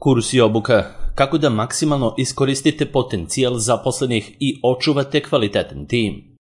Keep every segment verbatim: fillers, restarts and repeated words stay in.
Kurs i obuka. Kako da maksimalno iskoristite potencijal zaposlenih i očuvate kvalitetan tim.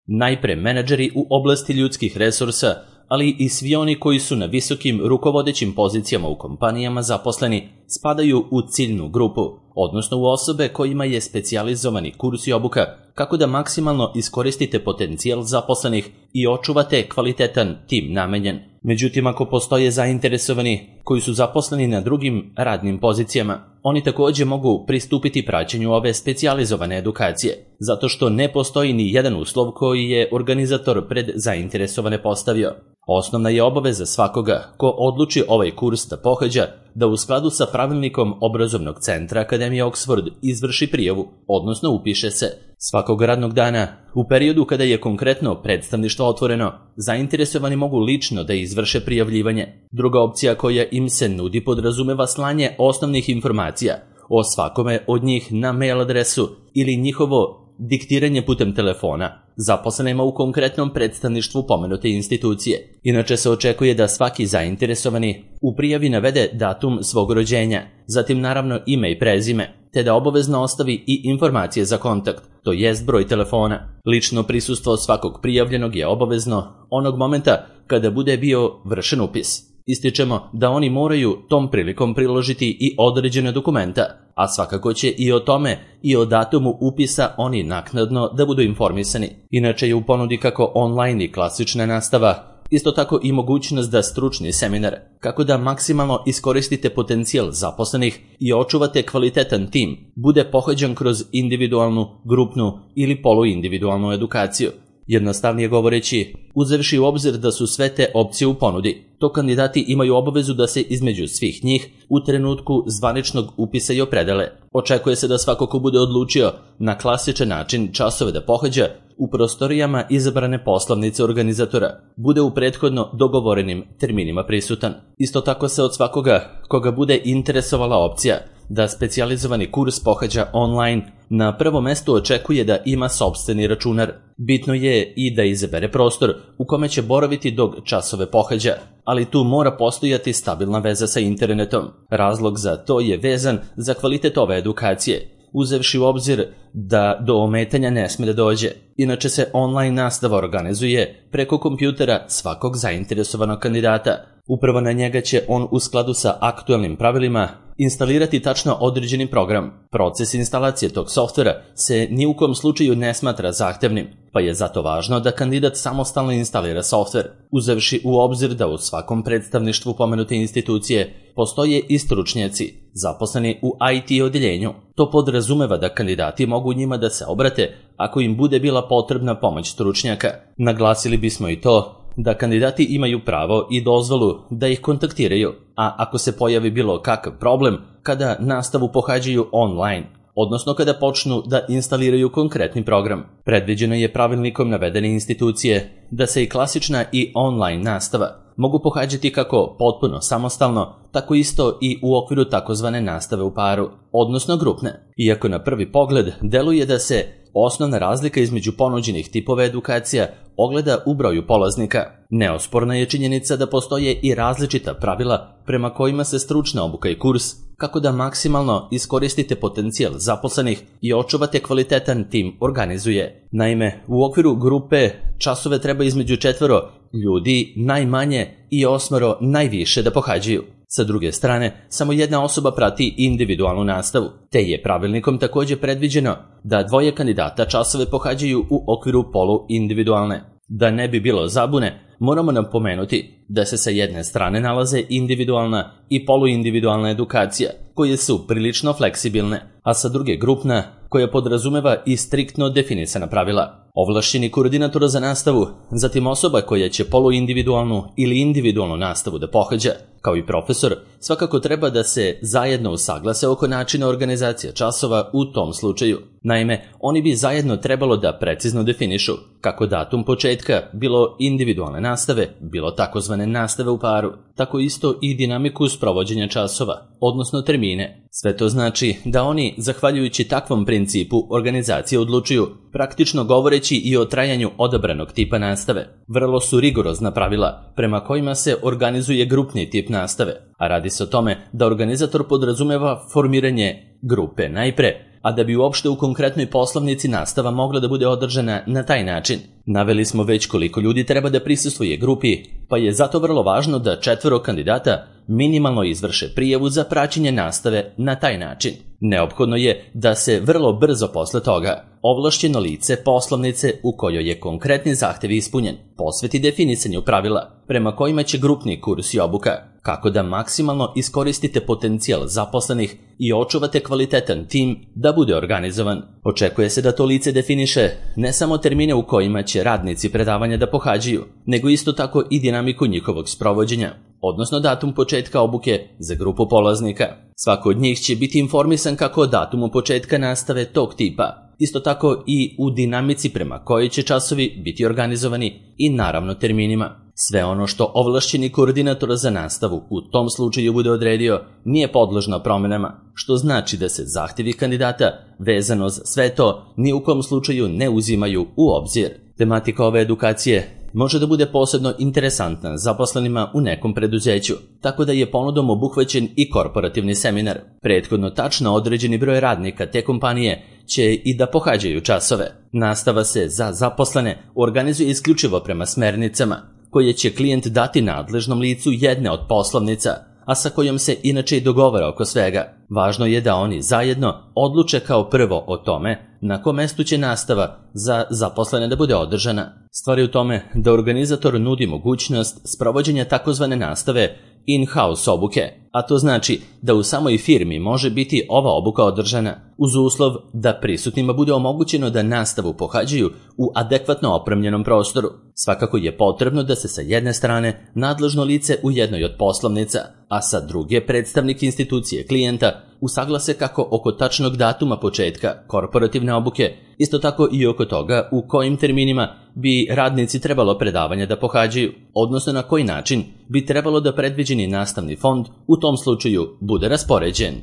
Najpre menadžeri u oblasti ljudskih resursa, ali i svi oni koji su na visokim rukovodećim pozicijama u kompanijama zaposleni, spadaju u ciljnu grupu, odnosno u osobe kojima je specijalizovani kurs i obuka kako da maksimalno iskoristite potencijal zaposlenih i očuvate kvalitetan tim namenjen. Međutim, ako postoje zainteresovani koji su zaposleni na drugim radnim pozicijama, oni također mogu pristupiti praćenju ove specijalizovane edukacije, zato što ne postoji ni jedan uslov koji je organizator pred zainteresovane postavio. Osnovna je obaveza svakoga ko odluči ovaj kurs da pohađa da u skladu sa pravilnikom obrazovnog centra Akademije Oxford izvrši prijavu, odnosno upiše se. Svakog radnog dana, u periodu kada je konkretno predstavništvo otvoreno, zainteresovani mogu lično da izvrše prijavljivanje. Druga opcija koja im se nudi podrazumeva slanje osnovnih informacija o svakome od njih na mail adresu ili njihovo diktiranje putem telefona zaposlenima u konkretnom predstavništvu pomenute institucije. Inače se očekuje da svaki zainteresovani u prijavi navede datum svog rođenja, zatim naravno ime i prezime, te da obavezno ostavi i informacije za kontakt, to jest broj telefona. Lično prisustvo svakog prijavljenog je obavezno onog momenta kada bude bio vršen upis. Ističemo da oni moraju tom prilikom priložiti i određene dokumenta, a svakako će i o tome i o datumu upisa oni naknadno da budu informisani. Inače je u ponudi kako online i klasična nastava, isto tako i mogućnost da stručni seminar, kako da maksimalno iskoristite potencijal zaposlenih i očuvate kvalitetan tim, bude pohađan kroz individualnu, grupnu ili poluindividualnu edukaciju. Jednostavnije govoreći, uzevši u obzir da su sve te opcije u ponudi, to kandidati imaju obavezu da se između svih njih u trenutku zvaničnog upisa i opredele. Očekuje se da svako ko bude odlučio na klasičan način časove da pohađa u prostorijama izabrane poslovnice organizatora, bude u prethodno dogovorenim terminima prisutan. Isto tako se od svakoga koga bude interesovala opcija da specijalizovani kurs pohađa online, na prvo mesto očekuje da ima sopstveni računar. Bitno je i da izabere prostor u kome će boraviti dok časove pohađa, ali tu mora postojati stabilna veza sa internetom. Razlog za to je vezan za kvalitet ove edukacije, uzevši u obzir da do ometanja ne sme da dođe. Inače se online nastava organizuje preko kompjutera svakog zainteresovanog kandidata. Upravo na njega će on u skladu sa aktualnim pravilima instalirati tačno određeni program. Proces instalacije tog softvera se ni u kom slučaju ne smatra zahtevnim, pa je zato važno da kandidat samostalno instalira softver, uzevši u obzir da u svakom predstavništvu pomenute institucije postoje i stručnjaci, zaposleni u I T odjeljenju. To podrazumeva da kandidati mogu njima da se obrate ako im bude bila potrebna pomoć stručnjaka. Naglasili bismo i to da kandidati imaju pravo i dozvolu da ih kontaktiraju, a ako se pojavi bilo kakav problem kada nastavu pohađaju online, odnosno kada počnu da instaliraju konkretni program. Predviđeno je pravilnikom navedene institucije da se i klasična i online nastava mogu pohađati kako potpuno samostalno, tako isto i u okviru takozvane nastave u paru, odnosno grupne. Iako na prvi pogled deluje da se osnovna razlika između ponuđenih tipova edukacija ogleda u broju polaznika, neosporna je činjenica da postoje i različita pravila prema kojima se stručna obuka i kurs kako da maksimalno iskoristite potencijal zaposlenih i očuvate kvalitetan tim organizuje. Naime, u okviru grupe časove treba između četvoro ljudi najmanje i osmoro najviše da pohađaju. Sa druge strane, samo jedna osoba prati individualnu nastavu, te je pravilnikom također predviđeno da dvoje kandidata časove pohađaju u okviru polu individualne. Da ne bi bilo zabune, moramo napomenuti da se sa jedne strane nalaze individualna i poluindividualna edukacija, koje su prilično fleksibilne, a sa druge grupna, koja podrazumeva i striktno definisana pravila. Ovlašćeni koordinator za nastavu, zatim osoba koja će poluindividualnu ili individualnu nastavu da pohađa, kao i profesor, svakako treba da se zajedno usaglase oko načina organizacije časova u tom slučaju. Naime, oni bi zajedno trebalo da precizno definišu kako datum početka, bilo individualne nastave, bilo takozvane nastave u paru, tako isto i dinamiku sprovođenja časova, odnosno termine. Sve to znači da oni, zahvaljujući takvom principu organizacije, odlučuju, praktično govoreći i o trajanju odabranog tipa nastave. Vrlo su rigorozna pravila prema kojima se organizuje grupni tip nastave, a radi se o tome da organizator podrazumeva formiranje grupe najpre, a da bi uopšte u konkretnoj poslovnici nastava mogla da bude održana na taj način. Naveli smo već koliko ljudi treba da prisustvuje grupi, pa je zato vrlo važno da četvoro kandidata minimalno izvrše prijavu za praćenje nastave na taj način. Neophodno je da se vrlo brzo posle toga ovlašćeno lice poslovnice u kojoj je konkretni zahtev ispunjen posveti definisanju pravila prema kojima će grupni kurs i obuka, kako da maksimalno iskoristite potencijal zaposlenih i očuvate kvalitetan tim da bude organizovan. Očekuje se da to lice definiše ne samo termine u kojima će radnici predavanja da pohađaju, nego isto tako i dinamiku njihovog sprovođenja, odnosno datum početka obuke za grupu polaznika. Svako od njih će biti informisan kako o datumu početka nastave tog tipa, isto tako i u dinamici prema kojoj će časovi biti organizovani i naravno terminima. Sve ono što ovlašćeni koordinator za nastavu u tom slučaju bude odredio nije podložno promenama, što znači da se zahtjevi kandidata vezano za sve to ni u kom slučaju ne uzimaju u obzir. Tematika ove edukacije može da bude posebno interesantna zaposlenima u nekom preduzeću, tako da je ponudom obuhvaćen i korporativni seminar. Prethodno tačno određeni broj radnika te kompanije će i da pohađaju časove. Nastava se za zaposlene organizuje isključivo prema smernicama, koje će klijent dati nadležnom licu jedne od poslovnica, a sa kojom se inače i dogovara oko svega. Važno je da oni zajedno odluče kao prvo o tome na kom mestu će nastava za zaposlene da bude održana. Stvar je u tome da organizator nudi mogućnost sprovođenja takozvane nastave in-house obuke, a to znači da u samoj firmi može biti ova obuka održana, uz uslov da prisutnima bude omogućeno da nastavu pohađaju u adekvatno opremljenom prostoru. Svakako je potrebno da se sa jedne strane nadležno lice u jednoj od poslovnica, a sa druge predstavnik institucije klijenta usaglase kako oko tačnog datuma početka korporativne obuke, isto tako i oko toga u kojim terminima bi radnici trebalo predavanja da pohađaju, odnosno na koji način bi trebalo da predviđeni nastavni fond u tom slučaju bude raspoređen.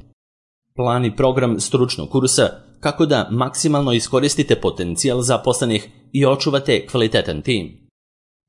Plan i program stručnog kursa kako da maksimalno iskoristite potencijal zaposlenih i očuvate kvalitetan tim.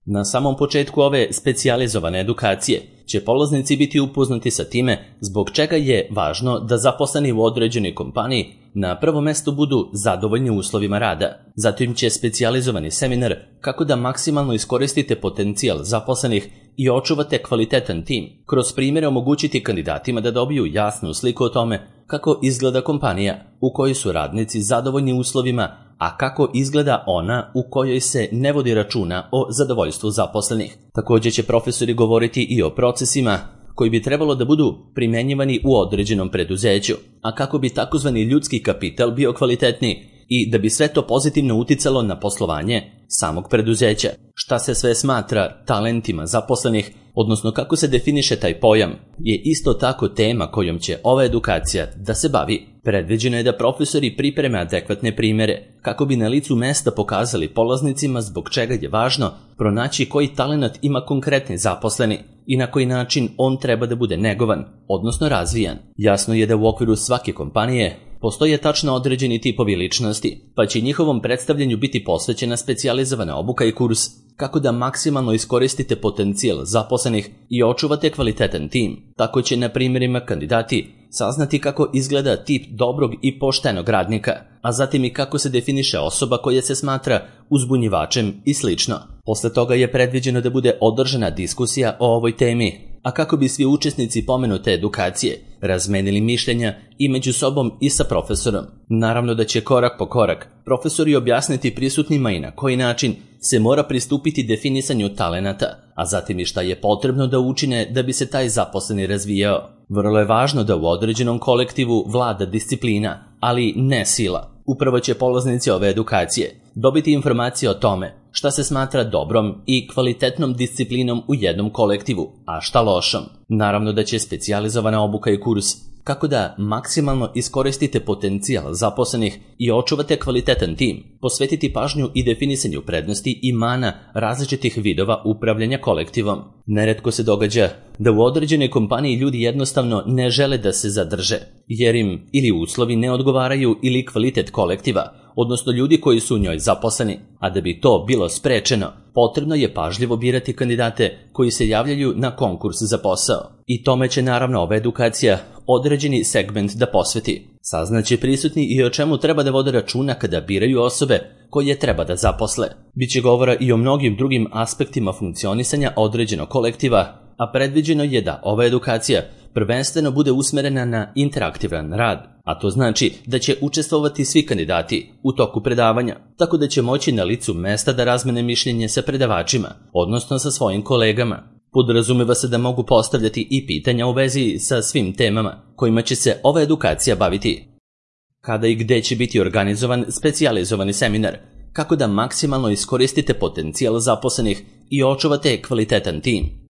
Na samom početku ove specijalizovane edukacije će polaznici biti upoznati sa time zbog čega je važno da zaposleni u određenoj kompaniji na prvom mestu budu zadovoljni uslovima rada. Zatim će specijalizovani seminar kako da maksimalno iskoristite potencijal zaposlenih i očuvate kvalitetan tim, kroz primjere omogućiti kandidatima da dobiju jasnu sliku o tome kako izgleda kompanija u kojoj su radnici zadovoljni uslovima, a kako izgleda ona u kojoj se ne vodi računa o zadovoljstvu zaposlenih. Također će profesori govoriti i o procesima koji bi trebalo da budu primenjivani u određenom preduzeću, a kako bi takozvani ljudski kapital bio kvalitetniji i da bi sve to pozitivno uticalo na poslovanje samog preduzeća. Šta se sve smatra talentima zaposlenih, odnosno kako se definiše taj pojam, je isto tako tema kojom će ova edukacija da se bavi. Predviđeno je da profesori pripreme adekvatne primjere kako bi na licu mesta pokazali polaznicima zbog čega je važno pronaći koji talenat ima konkretni zaposleni i na koji način on treba da bude negovan, odnosno razvijan. Jasno je da u okviru svake kompanije postoje tačno određeni tipovi ličnosti, pa će njihovom predstavljanju biti posvećena specijalizovana obuka i kurs kako da maksimalno iskoristite potencijal zaposlenih i očuvate kvalitetan tim. Tako će na primjerima kandidati saznati kako izgleda tip dobrog i poštenog radnika, a zatim i kako se definiše osoba koja se smatra uzbunjivačem i slično. Posle toga je predviđeno da bude održana diskusija o ovoj temi, a kako bi svi učesnici pomenute edukacije razmenili mišljenja i među sobom i sa profesorom. Naravno da će korak po korak profesori objasniti prisutnima i na koji način se mora pristupiti definisanju talenata, a zatim i šta je potrebno da učine da bi se taj zaposleni razvijao. Vrlo je važno da u određenom kolektivu vlada disciplina, ali ne sila. Upravo će polaznici ove edukacije dobiti informacije o tome šta se smatra dobrom i kvalitetnom disciplinom u jednom kolektivu, a šta lošom. Naravno da će specijalizovana obuka i kurs kako da maksimalno iskoristite potencijal zaposlenih i očuvate kvalitetan tim, posvetiti pažnju i definisanju prednosti i mana različitih vidova upravljanja kolektivom. Neretko se događa da u određenoj kompaniji ljudi jednostavno ne žele da se zadrže, jer im ili uslovi ne odgovaraju ili kvalitet kolektiva, odnosno ljudi koji su u njoj zaposleni, a da bi to bilo sprečeno, potrebno je pažljivo birati kandidate koji se javljaju na konkurs za posao. I tome će naravno ova edukacija određeni segment da posveti. Saznaće prisutni i o čemu treba da vode računa kada biraju osobe koje treba da zaposle. Biće govora i o mnogim drugim aspektima funkcionisanja određenog kolektiva, a predviđeno je da ova edukacija prvenstveno bude usmerena na interaktivan rad, a to znači da će učestvovati svi kandidati u toku predavanja, tako da će moći na licu mesta da razmene mišljenje sa predavačima, odnosno sa svojim kolegama. Podrazumeva se da mogu postavljati i pitanja u vezi sa svim temama kojima će se ova edukacija baviti. Kada i gde će biti organizovan specijalizovani seminar, kako da maksimalno iskoristite potencijal zaposlenih i očuvate kvalitetan tim.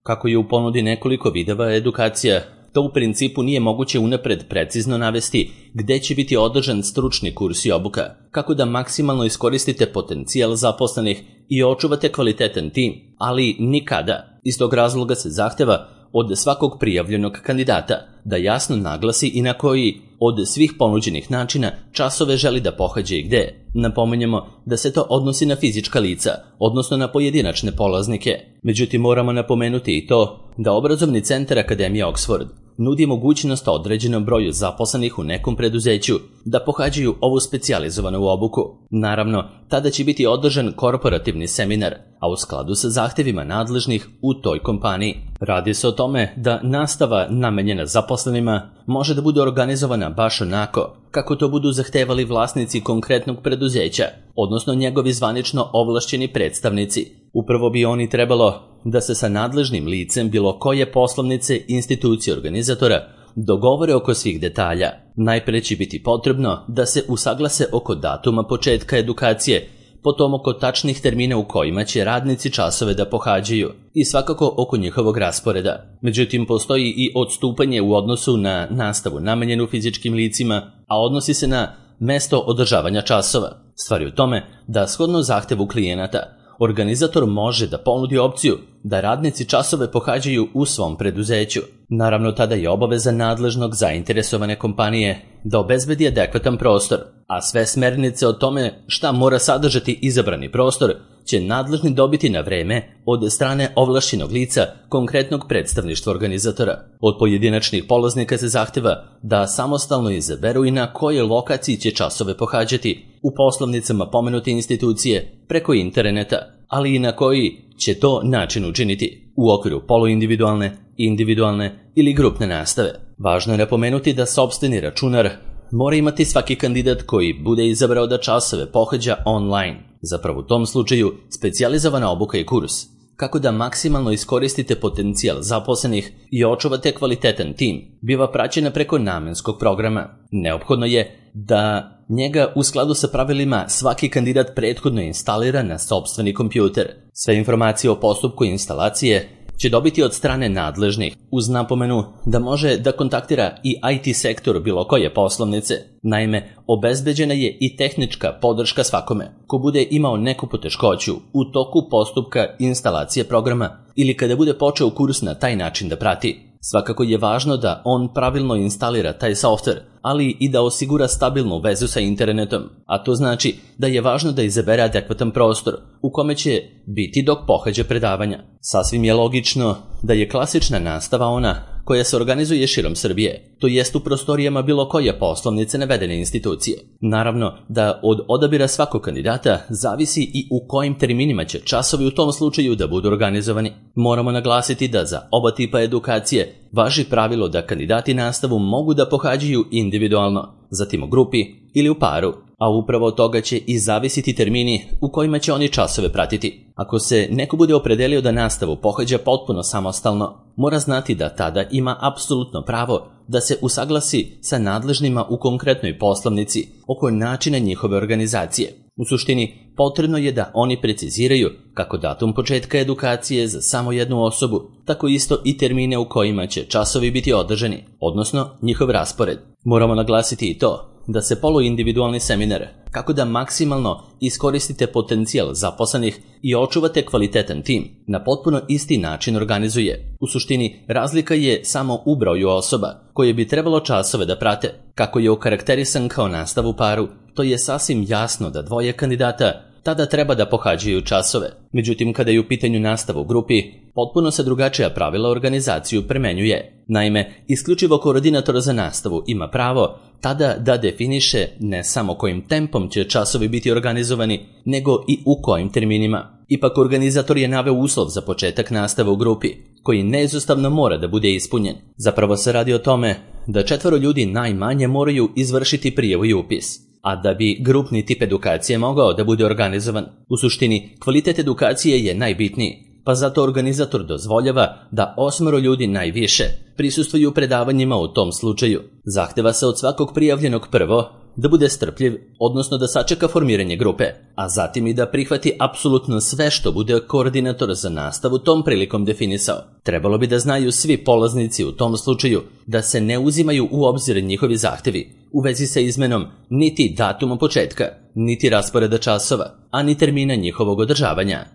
Kako je u ponudi nekoliko vidova edukacija, to u principu nije moguće unapred precizno navesti gde će biti održan stručni kurs i obuka, kako da maksimalno iskoristite potencijal zaposlenih i očuvate kvalitetan tim, ali nikada. Iz tog razloga se zahteva od svakog prijavljenog kandidata da jasno naglasi i na koji od svih ponuđenih načina časove želi da pohađa i gde. Napominjemo da se to odnosi na fizička lica, odnosno na pojedinačne polaznike. Međutim, moramo napomenuti i to da obrazovni centar Akademije Oxford nudi mogućnost određenom broju zaposlenih u nekom preduzeću da pohađaju ovu specijalizovanu obuku. Naravno, tada će biti održan korporativni seminar, a u skladu sa zahtevima nadležnih u toj kompaniji. Radi se o tome da nastava namenjena zaposlenima može da bude organizovana baš onako kako to budu zahtevali vlasnici konkretnog preduzeća, odnosno njegovi zvanično ovlašćeni predstavnici. Upravo bi oni trebalo da se sa nadležnim licem bilo koje poslovnice institucije organizatora dogovore oko svih detalja. Najpre će biti potrebno da se usaglase oko datuma početka edukacije, potom oko tačnih termina u kojima će radnici časove da pohađaju i svakako oko njihovog rasporeda. Međutim, postoji i odstupanje u odnosu na nastavu namenjenu fizičkim licima, a odnosi se na mesto održavanja časova. Stvar je u tome da shodno zahtevu klijenata, organizator može da ponudi opciju da radnici časove pohađaju u svom preduzeću. Naravno, tada je obaveza nadležnog zainteresovane kompanije da obezbedi adekvatan prostor, a sve smernice o tome šta mora sadržati izabrani prostor će nadležni dobiti na vreme od strane ovlašćenog lica konkretnog predstavništva organizatora. Od pojedinačnih polaznika se zahteva da samostalno izaberu i na kojoj lokaciji će časove pohađati u poslovnicama pomenute institucije preko interneta, ali i na koji će to način učiniti u okviru poluindividualne, individualne ili grupne nastave. Važno je napomenuti da sopstveni računar mora imati svaki kandidat koji bude izabrao da časove pohađa online. Zapravo u tom slučaju specijalizovana obuka i kurs, kako da maksimalno iskoristite potencijal zaposlenih i očuvate kvalitetan tim, biva praćena preko namenskog programa. Neophodno je da njega u skladu sa pravilima svaki kandidat prethodno instalira na sopstveni kompjuter. Sve informacije o postupku instalacije će dobiti od strane nadležnih, uz napomenu da može da kontaktira i I T sektor bilo koje poslovnice. Naime, obezbeđena je i tehnička podrška svakome ko bude imao neku poteškoću u toku postupka instalacije programa ili kada bude počeo kurs na taj način da prati. Svakako je važno da on pravilno instalira taj softver, ali i da osigura stabilnu vezu sa internetom, a to znači da je važno da izabere adekvatan prostor u kome će biti dok pohađa predavanja. Sasvim je logično da je klasična nastava ona koja se organizuje širom Srbije, to jest u prostorijama bilo koje poslovnice navedene institucije. Naravno da od odabira svakog kandidata zavisi i u kojim terminima će časovi u tom slučaju da budu organizovani. Moramo naglasiti da za oba tipa edukacije važi pravilo da kandidati nastavu mogu da pohađaju individualno, zatim u grupi ili u paru, a upravo od toga će i zavisiti termini u kojima će oni časove pratiti. Ako se neko bude opredelio da nastavu pohađa potpuno samostalno, mora znati da tada ima apsolutno pravo da se usaglasi sa nadležnima u konkretnoj poslovnici oko načina njihove organizacije. U suštini, potrebno je da oni preciziraju kako datum početka edukacije za samo jednu osobu, tako isto i termine u kojima će časovi biti održani, odnosno njihov raspored. Moramo naglasiti i to da se poluindividualni seminar, kako da maksimalno iskoristite potencijal zaposlenih i očuvate kvalitetan tim, na potpuno isti način organizuje. U suštini, razlika je samo u broju osoba koje bi trebalo časove da prate, kako je okarakterisan kao nastav u paru to je sasvim jasno da dvoje kandidata tada treba da pohađaju časove. Međutim, kada je u pitanju nastava u grupi, potpuno se drugačija pravila organizaciju primenjuje. Naime, isključivo koordinator za nastavu ima pravo tada da definiše ne samo kojim tempom će časovi biti organizovani, nego i u kojim terminima. Ipak organizator je naveo uslov za početak nastave u grupi, koji neizostavno mora da bude ispunjen. Zapravo se radi o tome da četvoro ljudi najmanje moraju izvršiti prijavu i upis, a da bi grupni tip edukacije mogao da bude organizovan. U suštini, kvalitet edukacije je najbitniji, pa zato organizator dozvoljava da osmoro ljudi najviše prisustvuju predavanjima u tom slučaju. Zahteva se od svakog prijavljenog prvo da bude strpljiv, odnosno da sačeka formiranje grupe, a zatim i da prihvati apsolutno sve što bude koordinator za nastavu tom prilikom definisao. Trebalo bi da znaju svi polaznici u tom slučaju da se ne uzimaju u obzir njihovi zahtevi u vezi sa izmenom niti datuma početka, niti rasporeda časova, a ni termina njihovog održavanja.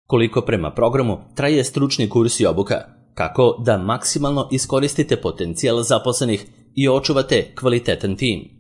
Koliko prema programu traje stručni kurs i obuka, kako da maksimalno iskoristite potencijal zaposlenih i očuvate kvalitetan tim.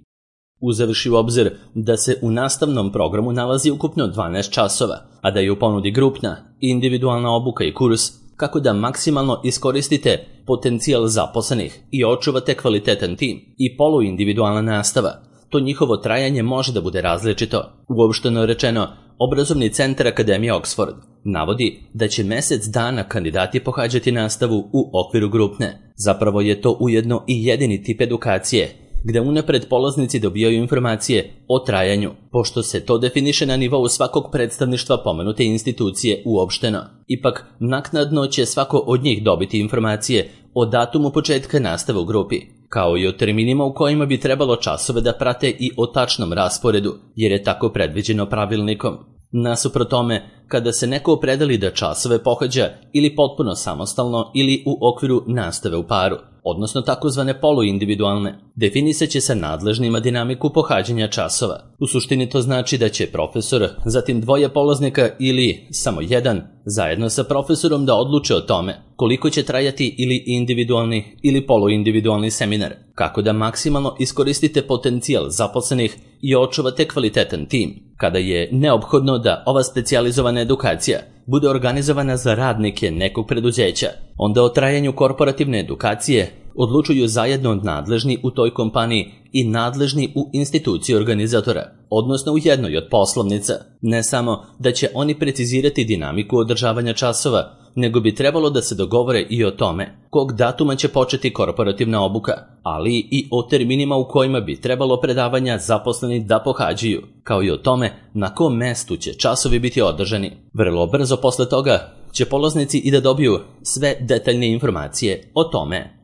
Uzevši u obzir da se u nastavnom programu nalazi ukupno dvanaest časova, a da je u ponudi grupna, individualna obuka i kurs, kako da maksimalno iskoristite potencijal zaposlenih i očuvate kvalitetan tim i poluindividualna nastava, to njihovo trajanje može da bude različito. Uopšteno rečeno, Obrazovni centar Akademije Oxford navodi da će mesec dana kandidati pohađati nastavu u okviru grupne. Zapravo je to ujedno i jedini tip edukacije gde unapred polaznici dobijaju informacije o trajanju, pošto se to definiše na nivou svakog predstavništva pomenute institucije uopšteno. Ipak, naknadno će svako od njih dobiti informacije o datumu početka nastave u grupi, kao i o terminima u kojima bi trebalo časove da prate i o tačnom rasporedu, jer je tako predviđeno pravilnikom. Nasuprot tome, kada se neko opredeli da časove pohađa ili potpuno samostalno ili u okviru nastave u paru, odnosno takozvane poluindividualne, definisat će sa nadležnima dinamiku pohađanja časova. U suštini to znači da će profesor, zatim dvoje polaznika ili samo jedan, zajedno sa profesorom da odluče o tome koliko će trajati ili individualni ili poluindividualni seminar, kako da maksimalno iskoristite potencijal zaposlenih i očuvate kvalitetan tim, kada je neophodno da ova specijalizovana edukacija bude organizovana za radnike nekog preduzeća, onda o trajanju korporativne edukacije odlučuju zajedno nadležni u toj kompaniji i nadležni u instituciji organizatora, odnosno u jednoj od poslovnica. Ne samo da će oni precizirati dinamiku održavanja časova, nego bi trebalo da se dogovore i o tome kog datuma će početi korporativna obuka, ali i o terminima u kojima bi trebalo predavanja zaposleni da pohađaju, kao i o tome na kom mestu će časovi biti održani. Vrlo brzo posle toga će polaznici i da dobiju sve detaljne informacije o tome.